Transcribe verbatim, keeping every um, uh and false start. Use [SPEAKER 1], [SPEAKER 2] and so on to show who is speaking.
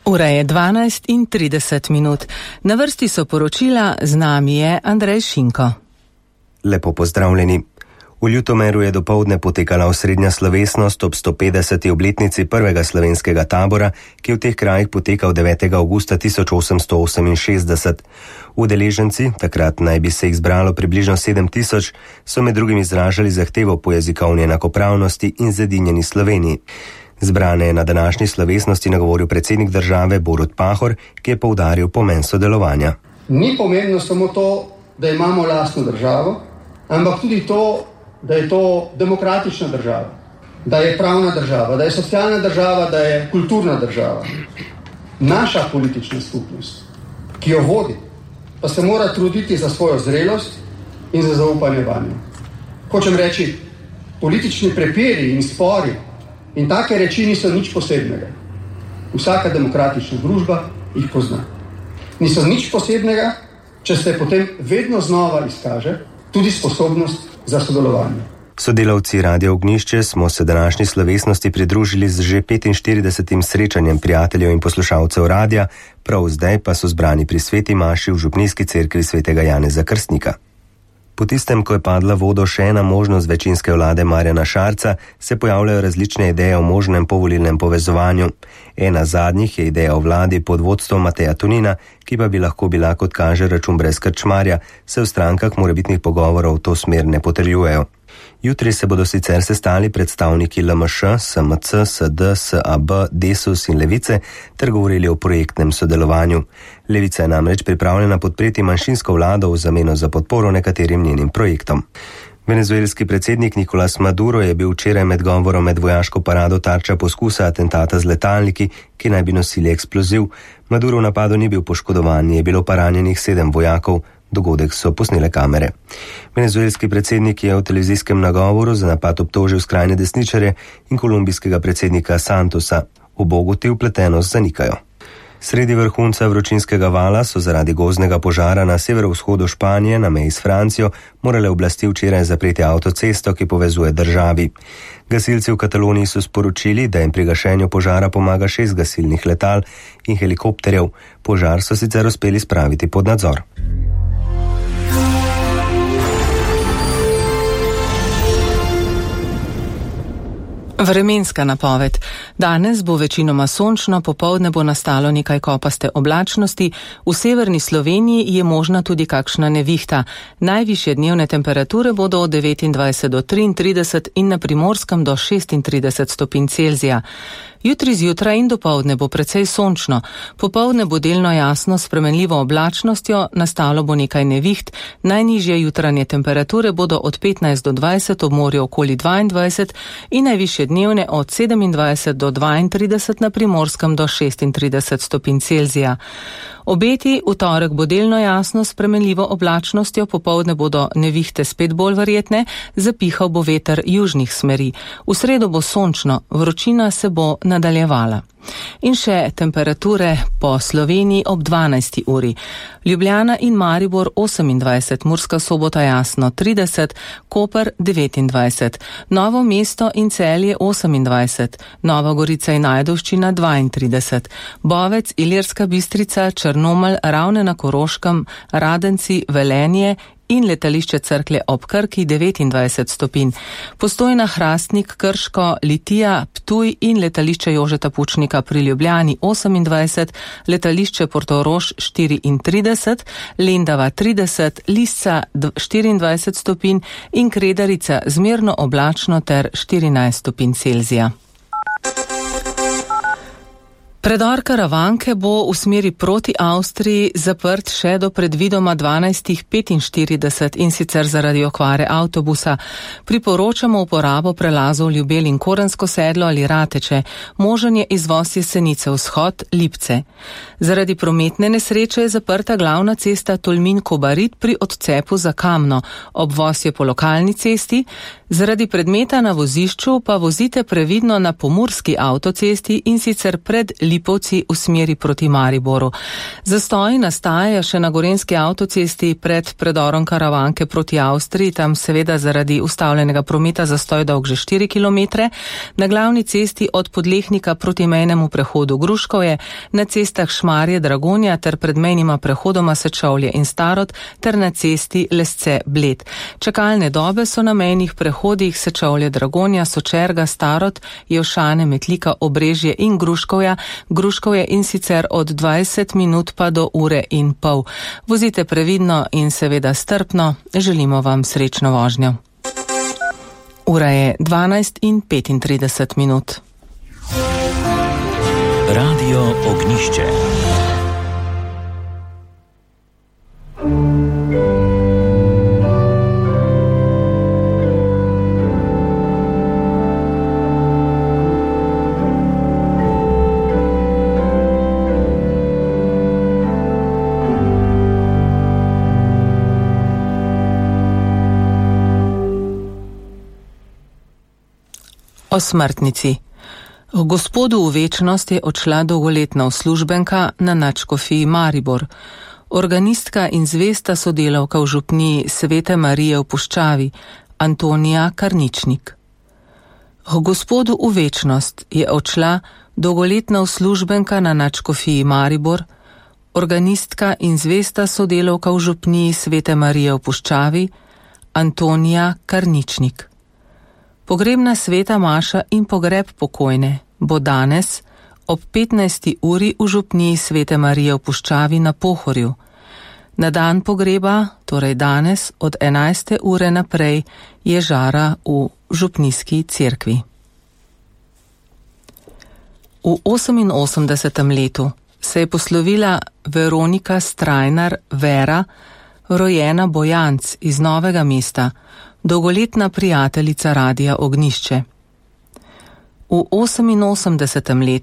[SPEAKER 1] Ura je dvanajst in trideset minut. Na vrsti so poročila, z nami je Andrej Šinko.
[SPEAKER 2] Lepo pozdravljeni. V Ljutomeru je dopoldne potekala osrednja slovesnost ob sto petdeseti obletnici prvega slovenskega tabora, ki je v teh krajih potekal devetega avgusta tisoč osemsto oseminšestdeset. Udeleženci, takrat naj bi se jih zbralo približno sedem tisoč, so med drugim izražali zahtevo po jezikovni enakopravnosti in zedinjeni Sloveniji. Zbrane je na današnji slovesnosti nagovoril predsednik države Borut Pahor, ki je poudaril pomen sodelovanja.
[SPEAKER 3] Ni pomembno samo to, da imamo lastno državo, ampak tudi to, da je to demokratična država, da je pravna država, da je socialna država, da je kulturna država. Naša politična skupnost, ki jo vodi, pa se mora truditi za svojo zrelost in za zaupanje vanjo. Hočem reči, politični prepiri in spori in take reči niso nič posebnega. Vsaka demokratična družba jih pozna. Niso nič posebnega, če se potem vedno znova izkaže tudi sposobnost za sodelovanje.
[SPEAKER 2] Sodelavci Radia Ognjišče smo se današnji slovesnosti pridružili z že petinštiridesetim srečanjem prijateljev in poslušalcev radia, prav zdaj pa so zbrani pri sveti maši v župnijski cerkvi svetega Janeza Krstnika. Po tistem, ko je padla vodo še ena možnost večinske vlade Marjana Šarca, se pojavljajo različne ideje o možnem povolilnem povezovanju. Ena zadnjih je ideja o vladi pod vodstvom Mateja Tonina, ki pa bi lahko bila, kot kaže, račun brez krčmarja, se v strankah morebitnih pogovorov v to smer ne potrjujejo. Jutri se bodo sicer sestali predstavniki L M Š, S M C, S D, S A B, Desus in Levice ter govorili o projektnem sodelovanju. Levica je namreč pripravljena podpreti manjšinsko vlado v zameno za podporo nekaterim njenim projektom. Venezuelski predsednik Nicolás Maduro je bil včeraj med govorom med vojaško parado tarča poskusa atentata z letalniki, ki naj bi nosili eksploziv. Maduro v napadu ni bil poškodovan, je bilo pa ranjenih sedem vojakov. Dogodek so posnele kamere. Venezuelski predsednik je v televizijskem nagovoru za napad obtožil skrajne desničarje in kolumbijskega predsednika Santosa. Obogu te vpletenost zanikajo. Sredi vrhunca vročinskega vala so zaradi gozdnega požara na severovzhodu Španije na meji s Francijo morale oblasti včeraj zapreti avtocesto, ki povezuje državi. Gasilci v Kataloniji so sporočili, da jim pri gašenju požara pomaga šest gasilnih letal in helikopterjev. Požar so sicer uspeli spraviti pod nadzor.
[SPEAKER 1] Vremenska napoved. Danes bo večinoma sončno, popoldne bo nastalo nekaj kopaste oblačnosti, v severni Sloveniji je možna tudi kakšna nevihta. Najvišje dnevne temperature bodo od devetindvajset do triintrideset in na Primorskem do šestintrideset stopinj Celzija. Jutri zjutraj in dopoldne bo precej sončno, popoldne bo delno jasno s spremenljivo oblačnostjo, nastalo bo nekaj neviht, najnižje jutranje temperature bodo od petnajst do dvajset, ob morju okoli dvaindvajset in najvišje dnevne od sedemindvajset do dvaintrideset, na Primorskem do šestintrideset stopinj Celzija. Obeti, v torek bo delno jasno s spremenljivo oblačnostjo, popoldne bodo nevihte spet bolj verjetne, zapihal bo veter južnih smeri. V sredo bo sončno, vročina se bo nadaljevala. In še temperature po Sloveniji ob dvanajsti uri. Ljubljana in Maribor osemindvajset, Murska Sobota jasno trideset, Koper devetindvajset, Novo mesto in Celje osemindvajset, Nova Gorica in Ajdovščina dvaintrideset, Bovec, Ilirska Bistrica, Črnomelj, Ravne na Koroškem, Radenci, Velenje in letališče Cerklje ob Krki devetindvajset stopinj. Postojna, Hrastnik, Krško, Litija, Ptuj in letališče Jožeta Pučnika pri Ljubljani osemindvajset, letališče Portorož štiriintrideset, Lendava trideset, Lisca štiriindvajset stopinj in Kredarica zmerno oblačno ter štirinajst stopinj Celzija. Predor Karavanke bo v smeri proti Avstriji zaprt še do predvidoma dvanajstih petinštirideset in sicer zaradi okvare avtobusa. Priporočamo uporabo prelazov Ljubelj in Korensko sedlo ali Rateče. Možen je izvoz Jesenice vzhod, Lipce. Zaradi prometne nesreče je zaprta glavna cesta Tolmin-Kobarid pri odcepu za Kamno. Obvoz je po lokalni cesti. Zaradi predmeta na vozišču pa vozite previdno na pomurski avtocesti in sicer pred Lipce Lipovci v smeri proti Mariboru. Zastoji nastajajo še na gorenjski avtocesti pred predorom Karavanke proti Avstriji, tam seveda zaradi ustavljenega prometa zastoj dolg že štiri kilometre, na glavni cesti od Podlehnika proti mejnemu prehodu Gruškovje, na cestah Šmarje, Dragonja ter pred mejnima prehodoma Sečovlje in Starod ter na cesti Lesce, Bled. Čakalne dobe so na mejnih prehodih Sečovlje, Dragonja, Sočerga, Starod, Jevšane, Metlika, Obrežje in Gruškovja, Gruškovje in sicer od dvajset minut pa do ure in pol. Vozite previdno in seveda strpno, želimo vam srečno vožnjo. Ura je dvanajst in petintrideset minut.
[SPEAKER 4] Radio Ognjišče.
[SPEAKER 1] O smrtnici. Gospodu v večnost je odšla dolgoletna uslužbenka na nadškofiji Maribor, organistka in zvesta sodelavka v župniji Svete Marije v Puščavi, Antonija Karničnik. Gospodu v večnost je odšla dolgoletna uslužbenka na nadškofiji Maribor, organistka in zvesta sodelavka v župniji Svete Marije v Puščavi, Antonija Karničnik. Pogrebna sveta maša in pogreb pokojne bo danes ob petnajsti uri v župniji Svete Marije v Puščavi na Pohorju. Na dan pogreba, torej danes od enajste ure naprej, je žara v župnijski cerkvi. V oseminosemdesetem letu se je poslovila Veronika Strajnar Vera, rojena Bojanc iz Novega mesta, dolgoletna prijateljica Radia Ognjišče. V oseminosemdesetem letu